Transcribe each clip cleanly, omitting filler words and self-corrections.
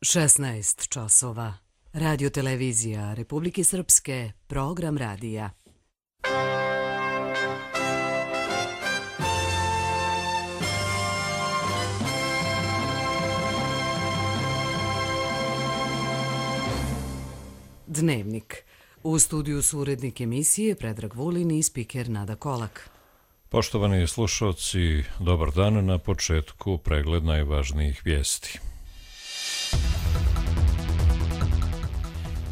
16 časova. Radio televizija Republike Srpske, program radija. Dnevnik. U studiju su urednik emisije Predrag Vulin i spiker Nada Kolak. Poštovani slušalci, dobar dan. Na početku pregled najvažnijih vijesti.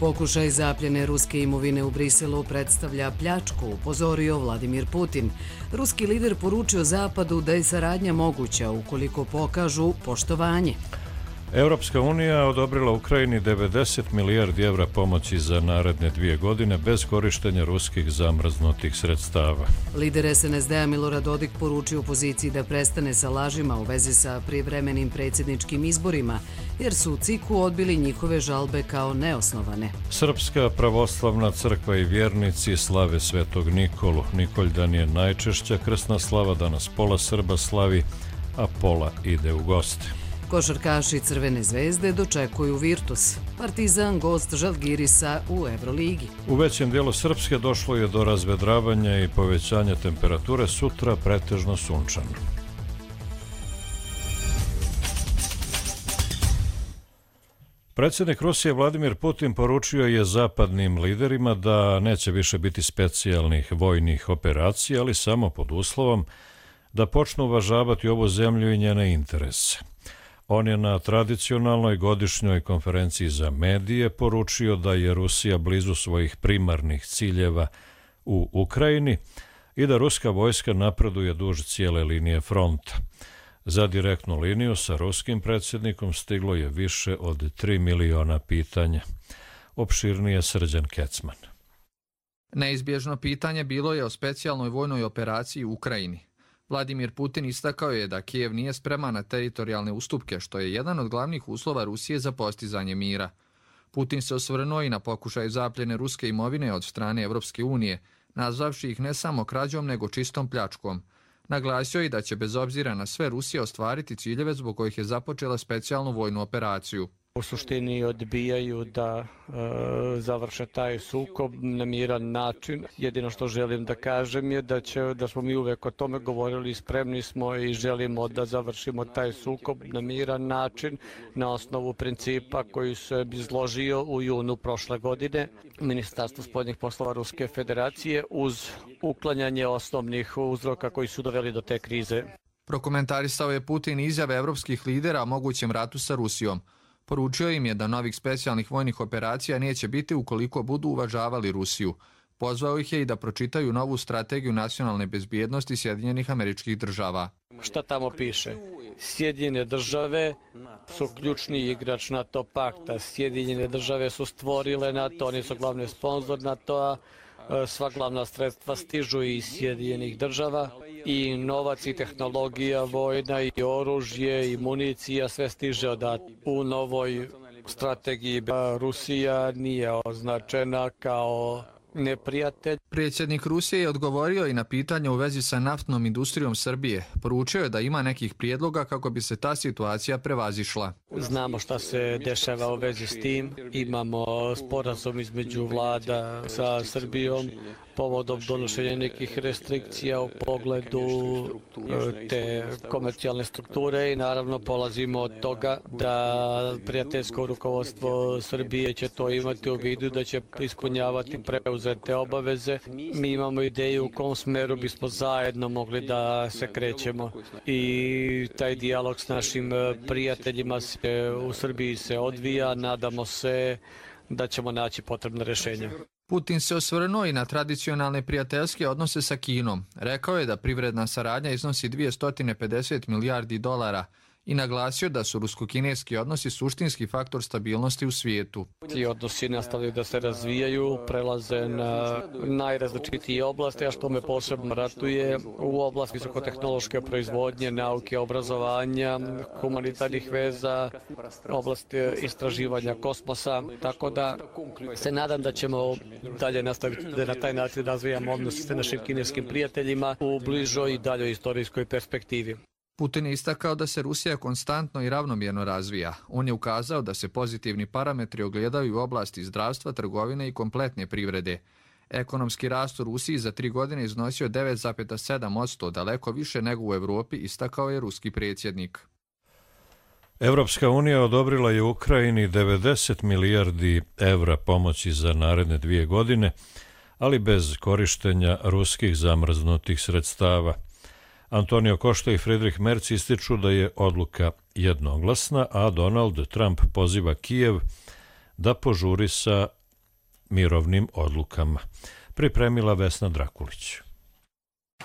Pokušaj zapljene ruske imovine u Briselu predstavlja pljačku, upozorio Vladimir Putin. Ruski lider poručio Zapadu da je saradnja moguća ukoliko pokažu poštovanje. Europska unija odobrila Ukrajini 90 milijardi evra pomoći za naredne 2 godine bez korištenja ruskih zamrznutih sredstava. Lider SNSD-a Milorad Dodik poručio opoziciji da prestane sa lažima u vezi sa privremenim predsjedničkim izborima, jer su u CIK-u odbili njihove žalbe kao neosnovane. Srpska pravoslavna crkva i vjernici slave Svetog Nikolu. Nikoljdan je najčešća krsna slava, danas pola Srba slavi, a pola ide u goste. Košarkaši Crvene zvezde dočekuju Virtus. Partizan gost Žalgirisa u Evroligi. U većem dijelu Srpske došlo je do razvedravanja i povećanja temperature, sutra pretežno sunčano. Predsjednik Rusije Vladimir Putin poručio je zapadnim liderima da neće više biti specijalnih vojnih operacija, ali samo pod uslovom da počnu uvažavati ovu zemlju i njene interese. On je na tradicionalnoj godišnjoj konferenciji za medije poručio da je Rusija blizu svojih primarnih ciljeva u Ukrajini i da ruska vojska napreduje duž cijele linije fronta. Za direktnu liniju sa ruskim predsjednikom stiglo je više od 3 miliona pitanja. Opširnije Srđan Kecman. Neizbježno pitanje bilo je o specijalnoj vojnoj operaciji u Ukrajini. Vladimir Putin istakao je da Kijev nije spreman na teritorijalne ustupke, što je jedan od glavnih uslova Rusije za postizanje mira. Putin se osvrnuo i na pokušaj zapljene ruske imovine od strane Europske unije, nazvavši ih ne samo krađom nego čistom pljačkom. Naglasio je da će bez obzira na sve Rusija ostvariti ciljeve zbog kojih je započela specijalnu vojnu operaciju. U suštini odbijaju da završe taj sukob na miran način. Jedino što želim da kažem je da smo mi uvek o tome govorili, spremni smo i želimo da završimo taj sukob na miran način na osnovu principa koji se izložio u junu prošle godine Ministarstvo spoljnih poslova Ruske federacije uz uklanjanje osnovnih uzroka koji su doveli do te krize. Prokomentarisao je Putin izjave evropskih lidera o mogućem ratu sa Rusijom. Poručio im je da novih specijalnih vojnih operacija neće biti ukoliko budu uvažavali Rusiju. Pozvao ih je i da pročitaju novu strategiju nacionalne bezbjednosti Sjedinjenih Američkih Država. Šta tamo piše? Sjedinjene države su ključni igrač NATO pakta. Sjedinjene države su stvorile NATO, oni su glavni sponzor NATO-a. Sva glavna sredstva stižu iz Sjedinjenih država i novac i tehnologija, vojna i oružje i municija, sve stiže odatle. U novoj strategiji Rusija nije označena kao neprijatelj. Predsjednik Rusije je odgovorio i na pitanje u vezi sa naftnom industrijom Srbije. Poručio je da ima nekih prijedloga kako bi se ta situacija prevazišla. Znamo šta se dešava u vezi s tim. Imamo sporazum između vlada sa Srbijom povodom donošenja nekih restrikcija u pogledu te komercijalne strukture i naravno polazimo od toga da prijateljsko rukovodstvo Srbije će to imati u vidu, da će ispunjavati preuzete obaveze. Mi imamo ideju u kom smeru bismo zajedno mogli da se krećemo i taj dijalog s našim prijateljima u Srbiji se odvija. Nadamo se da ćemo naći potrebne rješenja. Putin se osvrnuo i na tradicionalne prijateljske odnose sa Kinom. Rekao je da privredna saradnja iznosi 250 milijardi dolara i naglasio da su rusko-kineski odnosi suštinski faktor stabilnosti u svijetu. Ti odnosi nastavljaju da se razvijaju, prelaze na najrazličitije oblasti, a što me posebno ratuje u oblasti visokotehnološke proizvodnje, nauke, obrazovanja, humanitarnih veza, oblasti istraživanja kosmosa, tako da se nadam da ćemo dalje nastaviti da na taj način razvijamo odnose sa našim kineskim prijateljima u bližoj i daljoj istorijskoj perspektivi. Putin je istakao da se Rusija konstantno i ravnomjerno razvija. On je ukazao da se pozitivni parametri ogledaju u oblasti zdravstva, trgovine i kompletne privrede. Ekonomski rast u Rusiji za 3 godine iznosio 9,7%, daleko više nego u Evropi, istakao je ruski predsjednik. Evropska unija odobrila je Ukrajini 90 milijardi evra pomoći za naredne 2 godine, ali bez korištenja ruskih zamrznutih sredstava. Antonio Costa i Friedrich Merz ističu da je odluka jednoglasna, a Donald Trump poziva Kijev da požuri sa mirovnim odlukama. Pripremila Vesna Drakulić.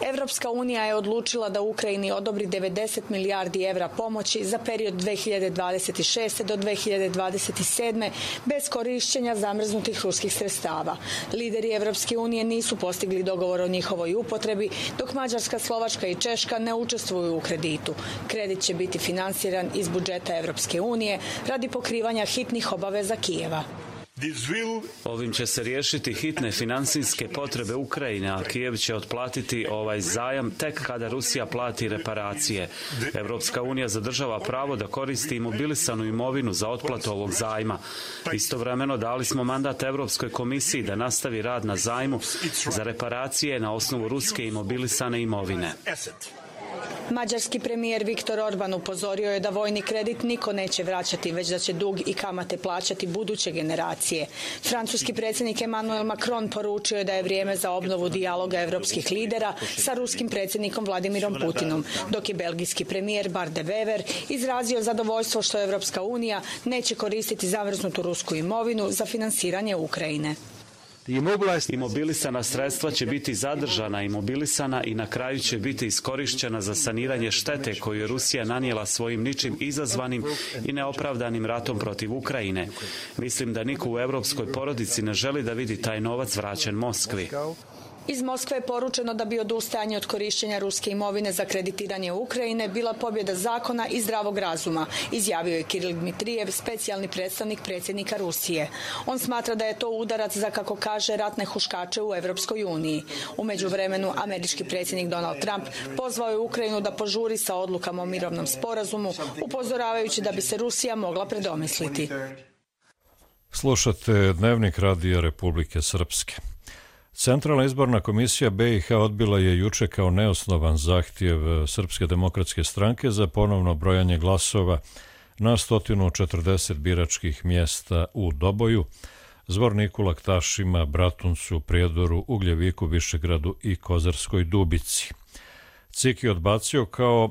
Evropska unija je odlučila da Ukrajini odobri 90 milijardi evra pomoći za period 2026. do 2027. bez korišćenja zamrznutih ruskih sredstava. Lideri Evropske unije nisu postigli dogovor o njihovoj upotrebi, dok Mađarska, Slovačka i Češka ne učestvuju u kreditu. Kredit će biti finansiran iz budžeta Evropske unije radi pokrivanja hitnih obaveza Kijeva. Ovim će se riješiti hitne finansijske potrebe Ukrajine, a Kijev će otplatiti ovaj zajam tek kada Rusija plati reparacije. Evropska unija zadržava pravo da koristi imobilisanu imovinu za otplatu ovog zajma. Istovremeno dali smo mandat Evropskoj komisiji da nastavi rad na zajmu za reparacije na osnovu ruske imobilisane imovine. Mađarski premijer Viktor Orban upozorio je da vojni kredit niko neće vraćati, već da će dug i kamate plaćati buduće generacije. Francuski predsjednik Emmanuel Macron poručio je da je vrijeme za obnovu dijaloga evropskih lidera sa ruskim predsjednikom Vladimirom Putinom, dok je belgijski premijer Bart de Wever izrazio zadovoljstvo što Evropska unija neće koristiti zamrznutu rusku imovinu za finansiranje Ukrajine. Imobilisana sredstva će biti zadržana, imobilisana i na kraju će biti iskorišćena za saniranje štete koju je Rusija nanijela svojim ničim izazvanim i neopravdanim ratom protiv Ukrajine. Mislim da niko u evropskoj porodici ne želi da vidi taj novac vraćen Moskvi. Iz Moskve je poručeno da bi odustajanje od korišćenja ruske imovine za kreditiranje Ukrajine bila pobjeda zakona i zdravog razuma, izjavio je Kiril Dmitrijev, specijalni predstavnik predsjednika Rusije. On smatra da je to udarac za, kako kaže, ratne huškače u Evropskoj uniji. U međuvremenu, američki predsjednik Donald Trump pozvao je Ukrajinu da požuri sa odlukama o mirovnom sporazumu, upozoravajući da bi se Rusija mogla predomisliti. Slušate Dnevnik Radija Republike Srpske. Centralna izborna komisija BiH odbila je juče kao neosnovan zahtjev Srpske demokratske stranke za ponovno brojanje glasova na 140 biračkih mjesta u Doboju, Zvorniku, Laktašima, Bratuncu, Prijedoru, Ugljeviku, Višegradu i Kozarskoj Dubici. CIK je odbacio kao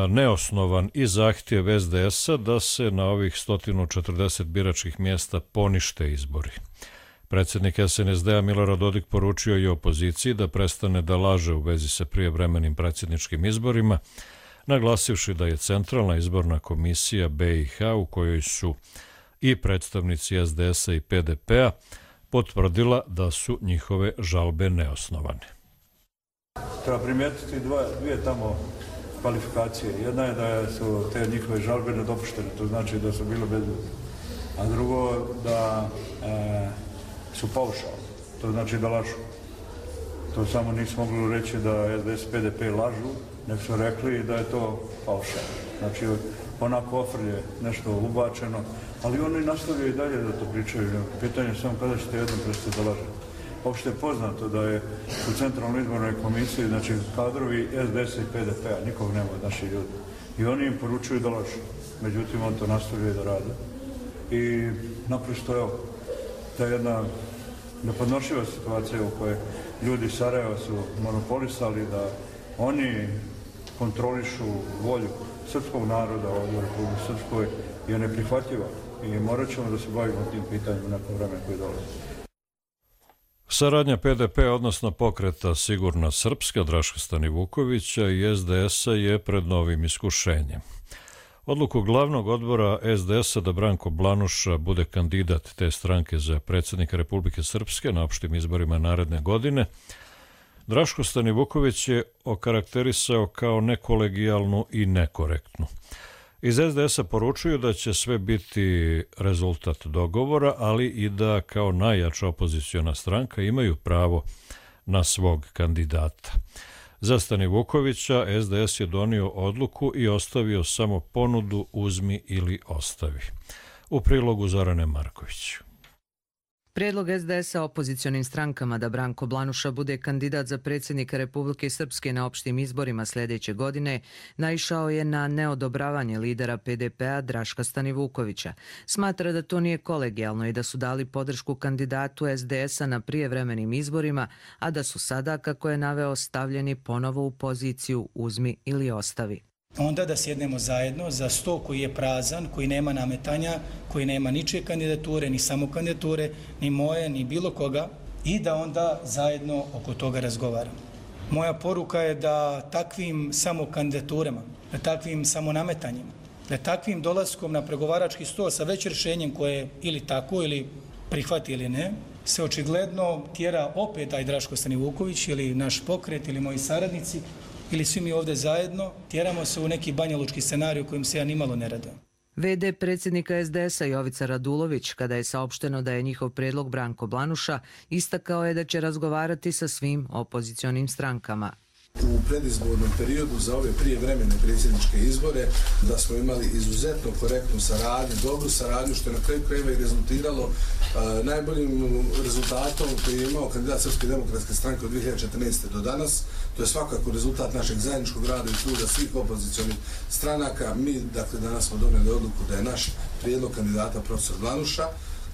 neosnovan i zahtjev SDS-a da se na ovih 140 biračkih mjesta ponište izbori. Predsjednik SNSD-a Milorad Dodik poručio je opoziciji da prestane da laže u vezi sa prijevremenim predsjedničkim izborima, naglasivši da je Centralna izborna komisija BiH, u kojoj su i predstavnici SDS-a i PDP-a, potvrdila da su njihove žalbe neosnovane. Treba primijetiti dvije tamo kvalifikacije. Jedna je da su te njihove žalbe nedopuštene, to znači da su bile bezbedne. A drugo da su paušalni, to znači da lažu. To samo nisu mogli reći da SDS i PDP lažu, nek su rekli da je to paušalno. Znači, onako ofrlje nešto ubačeno, ali oni nastavljaju i dalje da to pričaju. Pitanje je samo kada ćete jednom prestati da lažete. Opšte je poznato da je u Centralnoj izbornoj komisiji, znači kadrovi SDS i PDP-a, nikog nema od naših ljudi. I oni im poručuju da lažu. Međutim, on to nastavljaju da rade. I naprosto, evo, ta jedna nepodnošljiva situacija u kojoj ljudi Sarajeva su monopolisali da oni kontrolišu volju srpskog naroda ovdje u Republike Srpskoj je neprihvatljiva i morat ćemo da se bavimo tim pitanjem u neko vreme koje dolazi. Saradnja PDP, odnosno pokreta Sigurna Srpska, Draška Stanivukovića i SDS-a je pred novim iskušenjem. Odluku glavnog odbora SDS-a da Branko Blanuša bude kandidat te stranke za predsjednika Republike Srpske na opštim izborima naredne godine, Draško Stanivuković je okarakterisao kao nekolegijalnu i nekorektnu. Iz SDS-a poručuju da će sve biti rezultat dogovora, ali i da kao najjača opoziciona stranka imaju pravo na svog kandidata. Za Stanivukovića SDS je donio odluku i ostavio samo ponudu uzmi ili ostavi. U prilogu Zorane Marković. Prijedlog SDS-a opozicionim strankama da Branko Blanuša bude kandidat za predsjednika Republike Srpske na opštim izborima sljedeće godine naišao je na neodobravanje lidera PDP-a Draška Stanivukovića. Smatra da to nije kolegijalno i da su dali podršku kandidatu SDS-a na prijevremenim izborima, a da su sada, kako je naveo, stavljeni ponovo u poziciju uzmi ili ostavi. Onda da sjednemo zajedno za sto koji je prazan, koji nema nametanja, koji nema ničije kandidature, ni samo kandidature, ni moje, ni bilo koga, i da onda zajedno oko toga razgovaramo. Moja poruka je da takvim samo kandidaturama, da takvim samo nametanjima, da takvim dolaskom na pregovarački sto sa već rješenjem koje ili tako ili prihvati ili ne, se očigledno tjera opet taj Draško Stanivuković ili naš pokret ili moji saradnici ili svi mi ovdje zajedno, tjeramo se u neki banjalučki scenarij u kojem se ja nimalo ne radujem. VD predsjednika SDS-a Jovica Radulović, kada je saopšteno da je njihov prijedlog Branko Blanuša, istakao je da će razgovarati sa svim opozicionim strankama. U predizbornom periodu za ove prijevremene predsjedničke izbore da smo imali izuzetno korektnu saradnju, dobru saradnju, što je na kraju krajeva i rezultiralo najboljim rezultatom koji je imao kandidat Srpske demokratske stranke od 2014. do danas. To je svakako rezultat našeg zajedničkog rada i truda svih opozicionih stranaka. Mi, dakle, danas smo donijeli odluku da je naš prijedlog kandidata profesor Blanuša.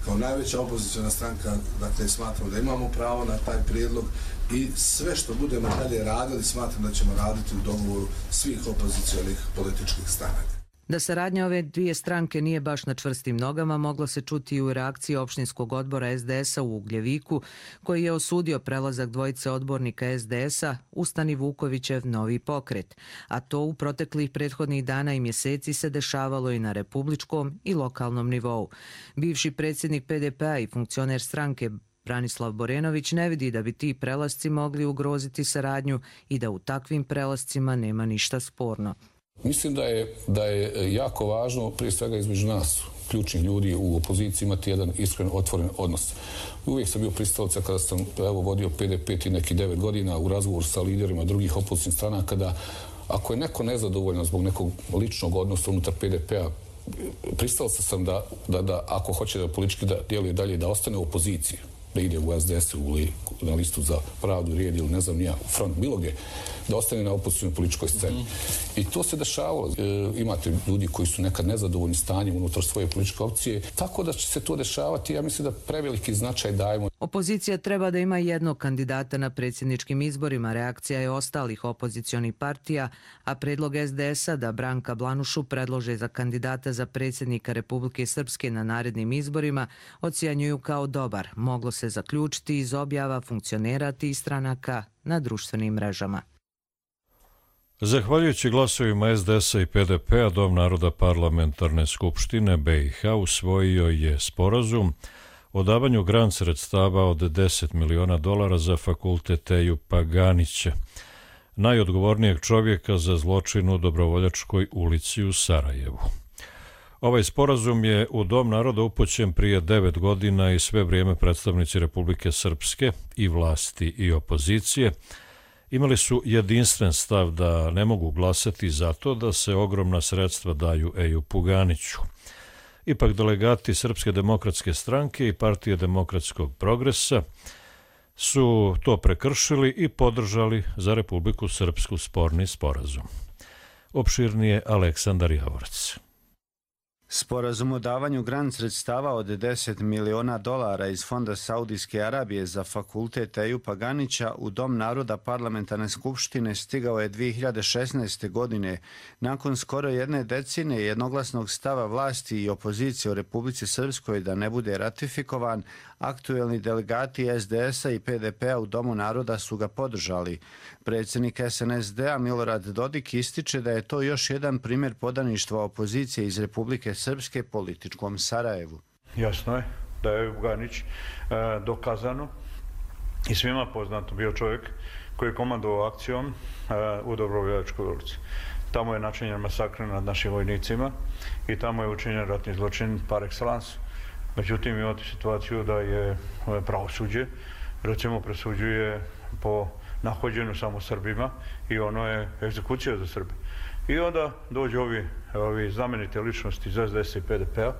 Kao najveća opoziciona stranka, dakle, smatramo da imamo pravo na taj prijedlog i sve što budemo dalje radili, smatram da ćemo raditi u dogovoru svih opozicionih političkih stranaka. Da saradnja ove dvije stranke nije baš na čvrstim nogama, moglo se čuti i u reakciji opštinskog odbora SDS-a u Ugljeviku, koji je osudio prelazak dvojice odbornika SDS-a u Stanivukovićev novi pokret. A to u proteklih prethodnih dana i mjeseci se dešavalo i na republičkom i lokalnom nivou. Bivši predsjednik PDP-a i funkcioner stranke Branislav Borenović ne vidi da bi ti prelasci mogli ugroziti saradnju i da u takvim prelascima nema ništa sporno. Mislim da je jako važno, prije svega između nas, ključnih ljudi u opoziciji, imati jedan iskren, otvoren odnos. Uvijek sam bio pristalica kada sam vodio PDP i neki 9 godina u razgovoru sa liderima drugih opozicijnih stranaka, da ako je neko nezadovoljan zbog nekog ličnog odnosa unutar PDP-a, pristalica sam da ako hoće da politički djeluje dalje, da ostane u opoziciji, da ide u SDS ili na listu za pravdu, rijed ili ne znam nija, u front, bilo gdje, da ostane na opozicijnoj političkoj sceni. I to se dešavalo. Imate ljudi koji su nekad nezadovoljni stanjem unutar svoje političke opcije, tako da će se to dešavati. Ja mislim da preveliki značaj dajemo. Opozicija treba da ima jednog kandidata na predsjedničkim izborima. Reakcija je ostalih opozicionih partija, a predlog SDS-a da Branka Blanušu predlože za kandidata za predsjednika Republike Srpske na narednim izborima ocjenjuju kao dobar. Moglo se zaključiti iz objava funkcionera tih stranaka na društvenim mrežama. Zahvaljujući glasovima SDS-a i PDP-a, Dom naroda Parlamentarne skupštine BiH usvojio je sporazum o davanju grant sredstava od $10 miliona za fakultet Ejupa Paganića, najodgovornijeg čovjeka za zločin u Dobrovoljačkoj ulici u Sarajevu. Ovaj sporazum je u Dom naroda upućen prije 9 godina i sve vrijeme predstavnici Republike Srpske i vlasti i opozicije imali su jedinstven stav da ne mogu glasati za to da se ogromna sredstva daju Ejupu Paganiću. Ipak delegati Srpske demokratske stranke i Partije demokratskog progresa su to prekršili i podržali za Republiku Srpsku sporni sporazum. Opširnije Aleksandar Javorac. Sporazum o davanju grant sredstava od $10 miliona iz Fonda Saudijske Arabije za fakultet Ejupa Paganića u Dom naroda Parlamentarne skupštine stigao je 2016. godine nakon skoro jedne decenije jednoglasnog stava vlasti i opozicije u Republici Srpskoj da ne bude ratifikovan. Aktuelni delegati SDS-a i PDP-a u Domu naroda su ga podržali. Predsjednik SNSD-a Milorad Dodik ističe da je to još jedan primjer podaništva opozicije iz Republike Srpske političkom Sarajevu. Jasno je da je Ejup Paganić dokazano i svima poznato bio čovjek koji je komandovao akcijom u Dobrovoljačkoj ulici. Tamo je načinjen masakr nad našim vojnicima i tamo je učinjen ratni zločin par excellence. Međutim, imate situaciju da je pravosuđe, recimo, presuđuje po nahođeno samo Srbima i ono je egzekucija za Srbe. I onda dođu ovi znamenite ličnosti iz SDS i PDP-a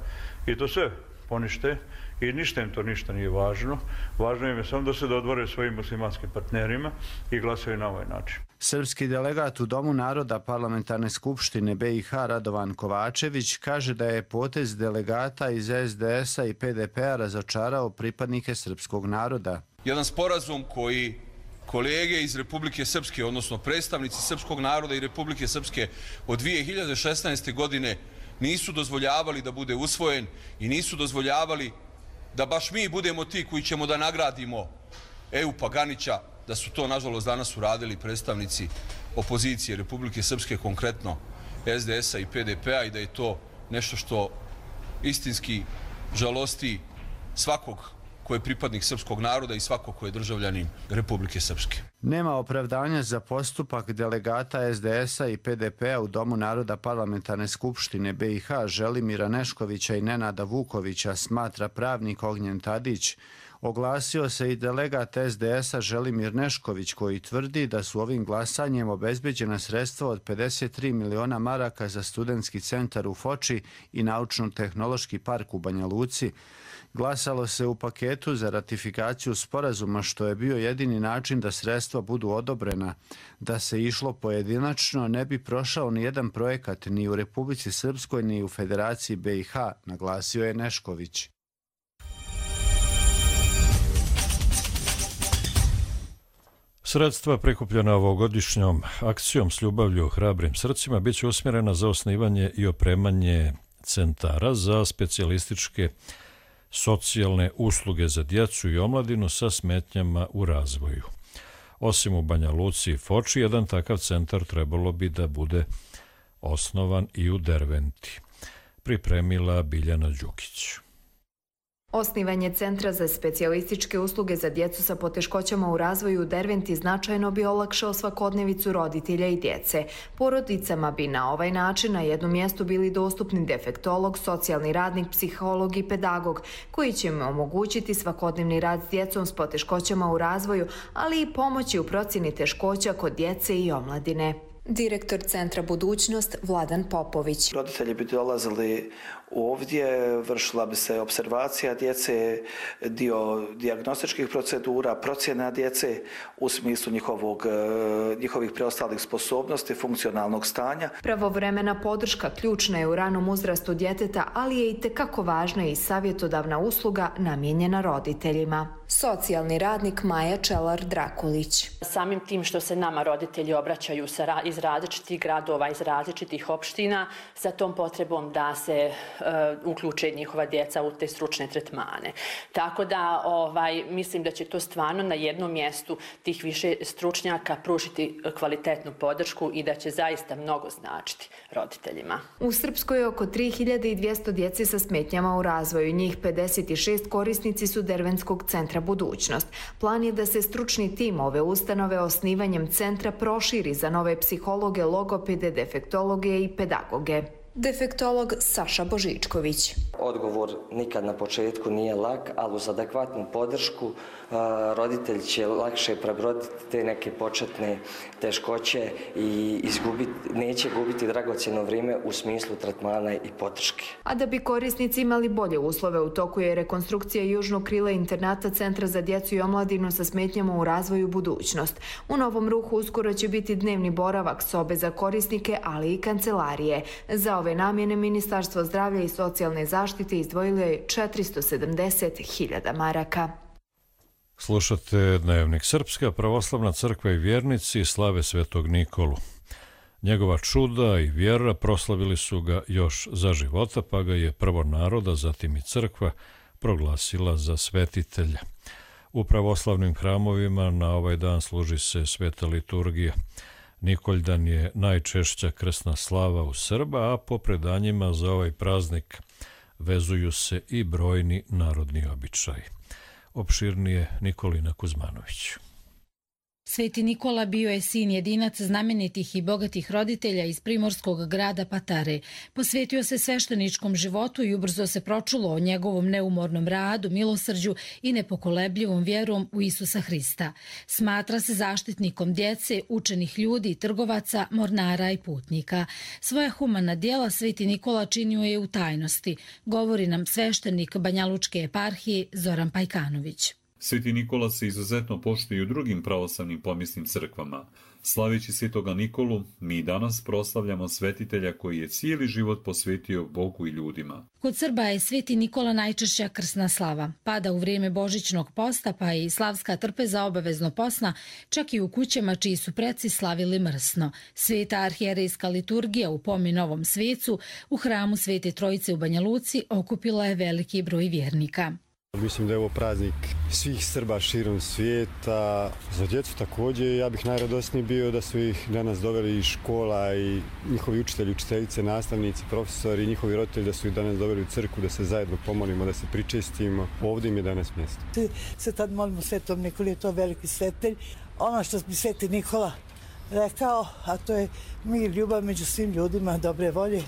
i to sve ponište i ništa im to nije važno. Važno im je samo da se dodvore svojim muslimanskim partnerima i glasaju na ovaj način. Srpski delegat u Domu naroda Parlamentarne skupštine BiH Radovan Kovačević kaže da je potez delegata iz SDS-a i PDP-a razočarao pripadnike srpskog naroda. Jedan sporazum koji kolege iz Republike Srpske, odnosno predstavnici srpskog naroda i Republike Srpske od 2016. godine nisu dozvoljavali da bude usvojen i nisu dozvoljavali da baš mi budemo ti koji ćemo da nagradimo Ejupa Ganića, da su to nažalost danas uradili predstavnici opozicije Republike Srpske, konkretno SDS-a i PDP-a, i da je to nešto što istinski žalosti svakog ko je pripadnik srpskog naroda i svako ko je državljanin Republike Srpske. Nema opravdanja za postupak delegata SDS-a i PDP-a u Domu naroda Parlamentarne skupštine BiH Želimira Neškovića i Nenada Vukovića, smatra pravnik Ognjen Tadić. Oglasio se i delegat SDS-a Želimir Nešković, koji tvrdi da su ovim glasanjem obezbeđena sredstva od 53 miliona maraka za studentski centar u Foči i naučno-tehnološki park u Banja Luci. Glasalo se u paketu za ratifikaciju sporazuma, što je bio jedini način da sredstva budu odobrena. Da se išlo pojedinačno, ne bi prošao ni jedan projekat ni u Republici Srpskoj ni u Federaciji BiH, naglasio je Nešković. Sredstva prikupljena ovogodišnjom akcijom S ljubavlju hrabrim srcima bit će usmjerena za osnivanje i opremanje centara za specijalističke socijalne usluge za djecu i omladinu sa smetnjama u razvoju. Osim u Banja Luci i Foči, jedan takav centar trebalo bi da bude osnovan i u Derventi. Pripremila Biljana Đukić. Osnivanje Centra za specijalističke usluge za djecu sa poteškoćama u razvoju u Derventi značajno bi olakšao svakodnevicu roditelja i djece. Porodicama bi na ovaj način na jednom mjestu bili dostupni defektolog, socijalni radnik, psiholog i pedagog, koji će im omogućiti svakodnevni rad s djecom s poteškoćama u razvoju, ali i pomoći u procjeni teškoća kod djece i omladine. Direktor Centra Budućnost Vladan Popović. Roditelji bi dolazili ovdje, vršila bi se observacija djece, dio dijagnostičkih procedura, procjena djece u smislu njihovih preostalih sposobnosti, funkcionalnog stanja. Pravovremena podrška ključna je u ranom uzrastu djeteta, ali je itekako važna i savjetodavna usluga namijenjena roditeljima. Socijalni radnik Maja Čelar-Drakulić. Samim tim što se nama roditelji obraćaju iz različitih gradova, iz različitih opština, sa tom potrebom da se uključe njihova djeca u te stručne tretmane. Tako da mislim da će to stvarno na jednom mjestu tih više stručnjaka pružiti kvalitetnu podršku i da će zaista mnogo značiti roditeljima. U Srpskoj je oko 3200 djece sa smetnjama u razvoju. Njih 56 korisnici su Derventskog centra Budućnost. Plan je da se stručni tim ove ustanove osnivanjem centra proširi za nove psihologe, logopede, defektologe i pedagoge. Defektolog Saša Božičković. Odgovor nikad na početku nije lak, ali uz adekvatnu podršku roditelj će lakše prebroditi te neke početne teškoće i neće gubiti dragocjeno vrijeme u smislu tretmana i podrške. A da bi korisnici imali bolje uslove, u toku je rekonstrukcija južnog krila internata Centra za djecu i omladinu sa smetnjama u razvoju Budućnost. U novom ruhu uskoro će biti dnevni boravak, sobe za korisnike, ali i kancelarije. Za ove namjene Ministarstvo zdravlja i socijalne zaštite izdvojilo je 470.000 maraka. Slušate Dnevnik. Srpska pravoslavna crkva i vjernici slave Svetog Nikolu. Njegova čuda i vjera proslavili su ga još za života, pa ga je prvo naroda, zatim i crkva, proglasila za svetitelja. U pravoslavnim hramovima na ovaj dan služi se sveta liturgija. Nikoljdan je najčešća krsna slava u Srba, a po predanjima za ovaj praznik vezuju se i brojni narodni običaji. Opširnije Nikolina Kuzmanović. Sveti Nikola bio je sin jedinac znamenitih i bogatih roditelja iz primorskog grada Patare. Posvetio se svešteničkom životu i ubrzo se pročulo o njegovom neumornom radu, milosrđu i nepokolebljivom vjerom u Isusa Hrista. Smatra se zaštitnikom djece, učenih ljudi, trgovaca, mornara i putnika. Svoja humana djela Sveti Nikola činio je u tajnosti, govori nam sveštenik Banjalučke eparhije Zoran Pajkanović. Sveti Nikola se izuzetno poštuje i u drugim pravoslavnim pomisnim crkvama. Slaveći Svetoga Nikolu, mi danas proslavljamo svetitelja koji je cijeli život posvetio Bogu i ljudima. Kod Srba je Sveti Nikola najčešća krsna slava. Pada u vrijeme božićnog posta, pa i slavska trpeza obavezno posna, čak i u kućama čiji su preci slavili mrsno. Sveta arhijerejska liturgija u Pomi Novom Svecu u hramu Svete Trojice u Banja Luci okupila je veliki broj vjernika. Mislim da je ovo praznik svih Srba širom svijeta. Za djecu također, ja bih najradosniji bio da su ih danas doveli iz škola i njihovi učitelji, učiteljice, nastavnici, profesori i njihovi roditelji da su ih danas doveli u crkvu, da se zajedno pomolimo, da se pričestimo. Ovdje im je danas mjesto. Se tad molimo Svetom Nikoli, je to veliki svetelj. Ono što bi Sveti Nikola rekao, a to je mir, ljubav među svim ljudima, dobre volje.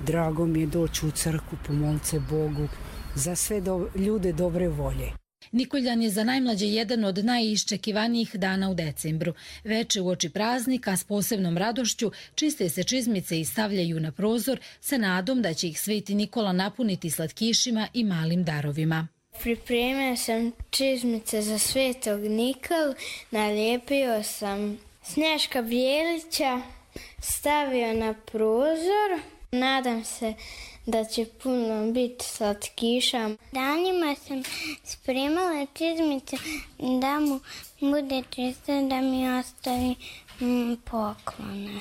Drago mi je doći u crkvu, pomoliti se Bogu za sve ljude dobre volje. Nikoljan je za najmlađe jedan od najiščekivanijih dana u decembru. Veče uoči praznika s posebnom radošću čiste se čizmice i stavljaju na prozor sa nadom da će ih Sveti Nikola napuniti slatkišima i malim darovima. Pripremio sam čizmice za Svetog Nikolu, nalijepio sam Snješka Bijelića, stavio na prozor. Nadam se da će puno biti slatkiša. Danima sam spremala čizmice da mu bude čisto, da mi ostavi poklone.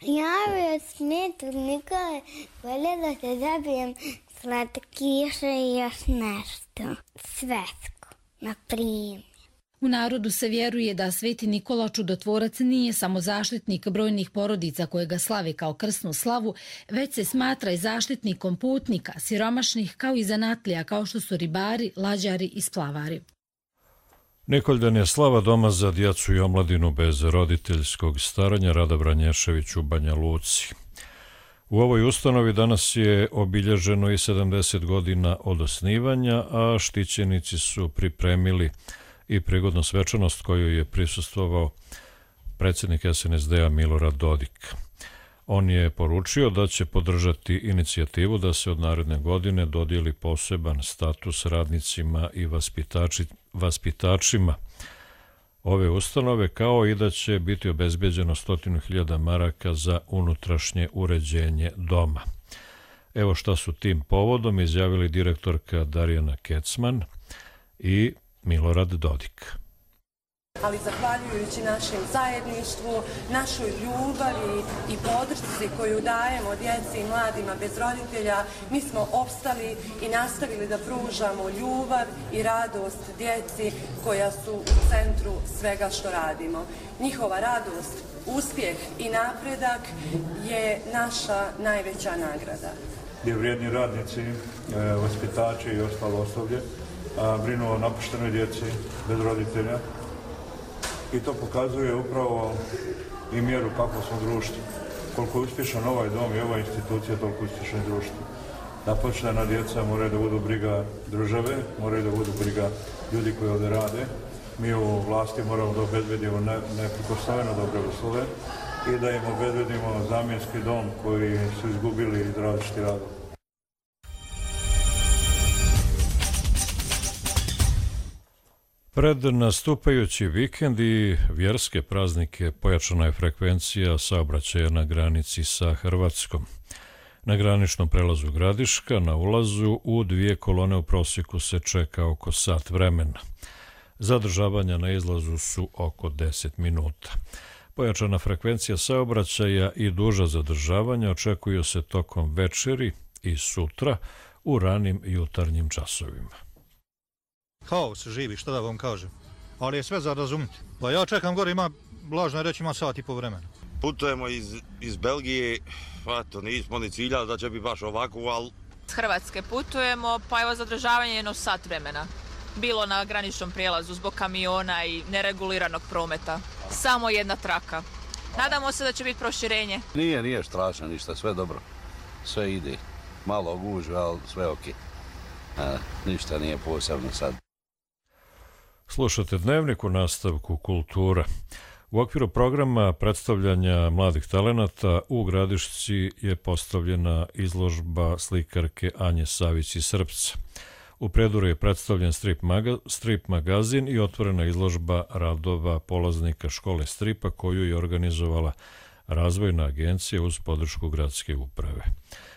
Ja bi od Svetog Nikole voljela da dobijem slatkiše i još nešto svetsko, na primjer. U narodu se vjeruje da Sveti Nikola Čudotvorac nije samo zaštitnik brojnih porodica koje ga slave kao krsnu slavu, već se smatra i zaštitnikom putnika, siromašnih kao i zanatlija kao što su ribari, lađari i splavari. Nikoljdan je slava doma za djecu i omladinu bez roditeljskog staranja Rada Branješević u Banja Luci. U ovoj ustanovi danas je obilježeno i 70 godina od osnivanja, a štićenici su pripremili i prigodnu svečanost koju je prisustvovao predsjednik SNSD-a Milorad Dodik. On je poručio da će podržati inicijativu da se od naredne godine dodijeli poseban status radnicima i vaspitačima ove ustanove, kao i da će biti obezbeđeno 100.000 maraka za unutrašnje uređenje doma. Evo šta su tim povodom izjavili direktorka Darjana Kecman i Milorad Dodik. Ali zahvaljujući našem zajedništvu, našoj ljubavi i podršci koju dajemo djeci i mladima bez roditelja, mi smo opstali i nastavili da pružamo ljubav i radost djeci koja su u centru svega što radimo. Njihova radost, uspjeh i napredak je naša najveća nagrada. Gdje vrijedni radnici, vaspitači i ostalo osoblje brinu o napuštenoj djeci bez roditelja i to pokazuje upravo i mjeru kako smo društvo. Koliko je uspješan ovaj dom i ova institucija, toliko uspješan i društvo. Napuštena djeca moraju da budu briga države, moraju da budu briga ljudi koji ovdje rade. Mi u vlasti moramo da obezbedimo neprikosnoveno dobre uslove i da im obezbedimo zamjenski dom koji su izgubili iz različitih radova. Pred nastupajući vikend i vjerske praznike pojačana je frekvencija saobraćaja na granici sa Hrvatskom. Na graničnom prelazu Gradiška na ulazu u 2 kolone u prosjeku se čeka oko sat vremena. Zadržavanja na izlazu su oko 10 minuta. Pojačana frekvencija saobraćaja i duža zadržavanja očekuju se tokom večeri i sutra u ranim jutarnjim časovima. Haos živi, što da vam kažem, ali je sve za razumjeti. Pa ja čekam gore, lažno reći, ima sat i po vremena. Putujemo iz Belgije, eto, nismo ni ciljali da će biti baš ovako, ali... S Hrvatske putujemo, pa evo zadržavanje jedno sat vremena. bilo na graničnom prijelazu zbog kamiona i nereguliranog prometa. Samo jedna traka. Nadamo se da će biti proširenje. Nije strašno ništa, sve dobro. Sve ide. Malo gužve, ali sve ok. Ništa nije posebno sad. Slušate Dnevnik u nastavku kultura. U okviru programa predstavljanja mladih talenata u Gradišci je postavljena izložba slikarke Anje Savić iz Srpca. U Prijedoru je predstavljen strip magazin i otvorena izložba radova polaznika škole stripa koju je organizovala Razvojna agencija uz podršku gradske uprave.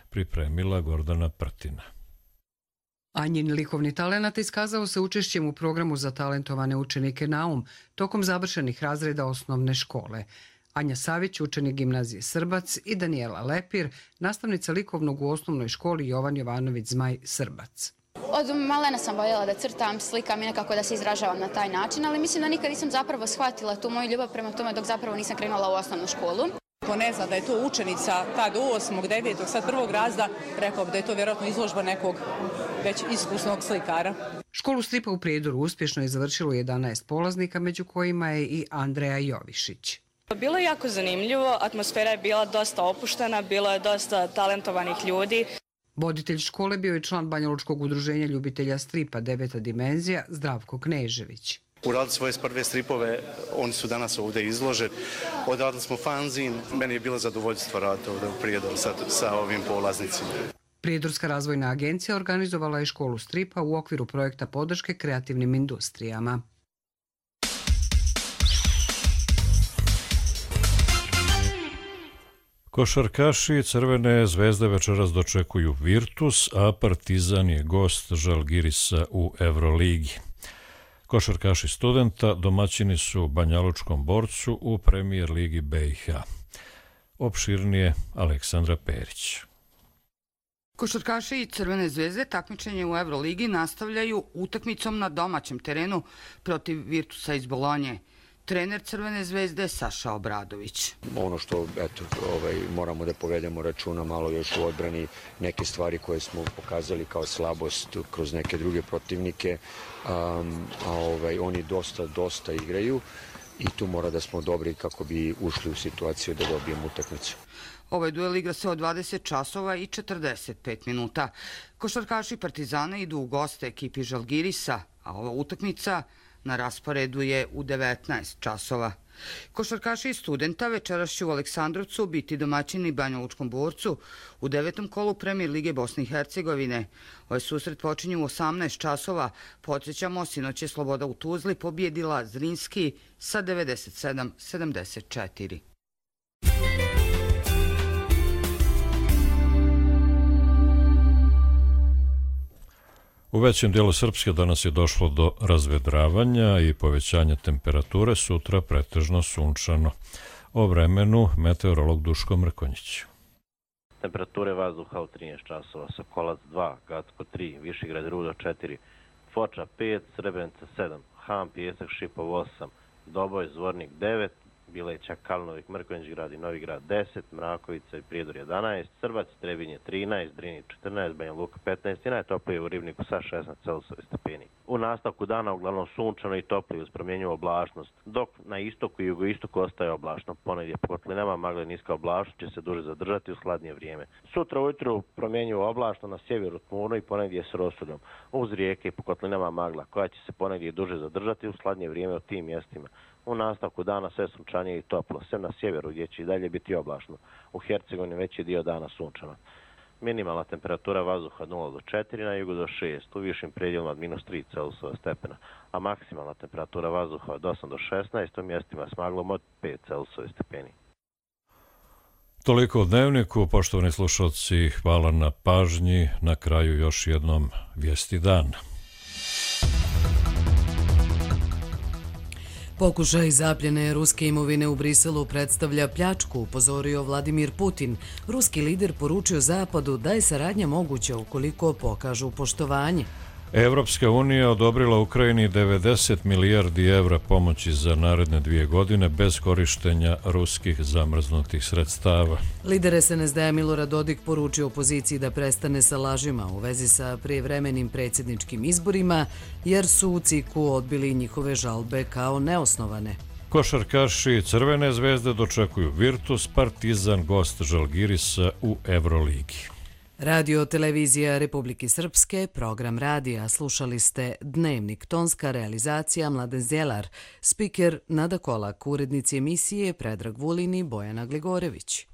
Pripremila Gordana Prtina. Anjin likovni talenat iskazao se učešćem u programu za talentovane učenike Naum tokom završenih razreda osnovne škole. Anja Savić, učenik gimnazije Srbac, i Danijela Lepir, nastavnica likovnog u osnovnoj školi Jovan Jovanović Zmaj Srbac. Od malena sam voljela da crtam, slikam i nekako da se izražavam na taj način, ali mislim da nikad nisam zapravo shvatila tu moju ljubav prema tome dok zapravo nisam krenula u osnovnu školu. Ko ne zna da je to učenica tad 8., 9., sad 1. razreda, rekao bi da je to vjerojatno izložba nekog već iskusnog slikara. Školu stripa u Prijedoru uspješno je završilo 11 polaznika, među kojima je i Andreja Jovišić. Bilo je jako zanimljivo, atmosfera je bila dosta opuštena, bilo je dosta talentovanih ljudi. Voditelj škole bio je član Banjalučkog udruženja ljubitelja stripa 9. dimenzija Zdravko Knežević. Uradili svoje prve stripove, oni su danas ovdje izloženi. Odradili smo fanzin, meni je bilo zadovoljstvo raditi ovdje u Prijedoru sa ovim polaznicima. Prijedorska razvojna agencija organizovala je školu stripa u okviru projekta podrške kreativnim industrijama. Košarkaši Crvene zvezde večeras dočekuju Virtus, a Partizan je gost Žalgirisa u Euroligi. Košarkaši Studenta domaćini su Banjalučkom Borcu u Premijer ligi BiH. Opširnije Aleksandra Perić. Košarkaši Crvene zvezde takmičenje u Euroligi nastavljaju utakmicom na domaćem terenu protiv Virtusa iz Bolonje. Trener Crvene zvezde Saša Obradović. Ono što moramo da povedemo računa malo još u odbrani, neke stvari koje smo pokazali kao slabost kroz neke druge protivnike, oni dosta igraju i tu mora da smo dobri kako bi ušli u situaciju da dobijemo utakmicu. Ovaj duel igra se od 20 časova i 45 minuta. Košarkaši Partizana idu u goste ekipi Žalgirisa, a ova utakmica na rasporedu je u 19 časova. Košarkaši iz Studenta večeras će u Aleksandrovcu biti domaćini Banjalučkom Borcu u 9. kolu Premijer lige Bosne i Hercegovine. Ovaj susret počinje u 18 časova. Podsjećamo, sinoć je Sloboda u Tuzli pobjedila Zrinski sa 97-74. U većem dijelu Srpske danas je došlo do razvedravanja i povećanja temperature, sutra pretežno sunčano. O vremenu meteorolog Duško Mrkonjić. Temperature vazduha u 13 časova, Sokolac 2, Gacko 3, Višegrad Rudo 4, Foča 5, Srebrenica 7, Ham, Pijesak, Šipov 8, Doboj, Zvornik 9, Bileća, Kalnovik, Mrkonjić grad i Novi grad 10, Mrakovica i Prijedor 11, Srbac, Trebinje 13, Drini 14, Banja Luka 15 i najtoplije u Ribniku sa 16 Celsijevi stepeni. U nastavku dana uglavnom sunčano i toplije uz promjenjivu oblačnost, dok na istoku i jugoistoku ostaje oblačno. Ponegdje po kotlinama magla i niska oblačnost će se duže zadržati u hladnije vrijeme. Sutra ujutru promjenjivo oblačno, na sjeveru tmurno i ponegdje s rosudom. Uz rijeke i po kotlinama magla koja će se ponegdje duže zadržati u hladnije vrijeme u tim mjestima. U nastavku dana sve sunčanije i toplo, sve na sjeveru gdje će i dalje biti oblačno. U Hercegovini veći dio dana sunčano. Minimalna temperatura vazduha 0 do 4, na jugu do 6, u višim predjelima od -3 Celsijeва stepena, a maksimalna temperatura vazduha od 8 do 16, u mjestima s maglom od 5 Celsijevi stepeni. Toliko u Dnevniku, poštovani slušalci, hvala na pažnji. Na kraju još jednom vijesti dana. Pokušaj zapljene ruske imovine u Briselu predstavlja pljačku, upozorio Vladimir Putin. Ruski lider poručio Zapadu da je saradnja moguća ukoliko pokažu poštovanje. Evropska unija odobrila Ukrajini 90 milijardi evra pomoći za naredne 2 godine bez korištenja ruskih zamrznutih sredstava. Lider SNSD Milorad Dodik poručio opoziciji da prestane sa lažima u vezi sa prijevremenim predsjedničkim izborima, jer su u CIK-u odbili njihove žalbe kao neosnovane. Košarkaši Crvene zvezde dočekuju Virtus, Partizan gost Žalgirisa u Evroligi. Radio Televizija Republike Srpske, program radija. Slušali ste Dnevnik, tonska realizacija Mladen Zjelar, spiker Nada Kolak, urednici emisije Predrag Vulin i Bojana Gligorević.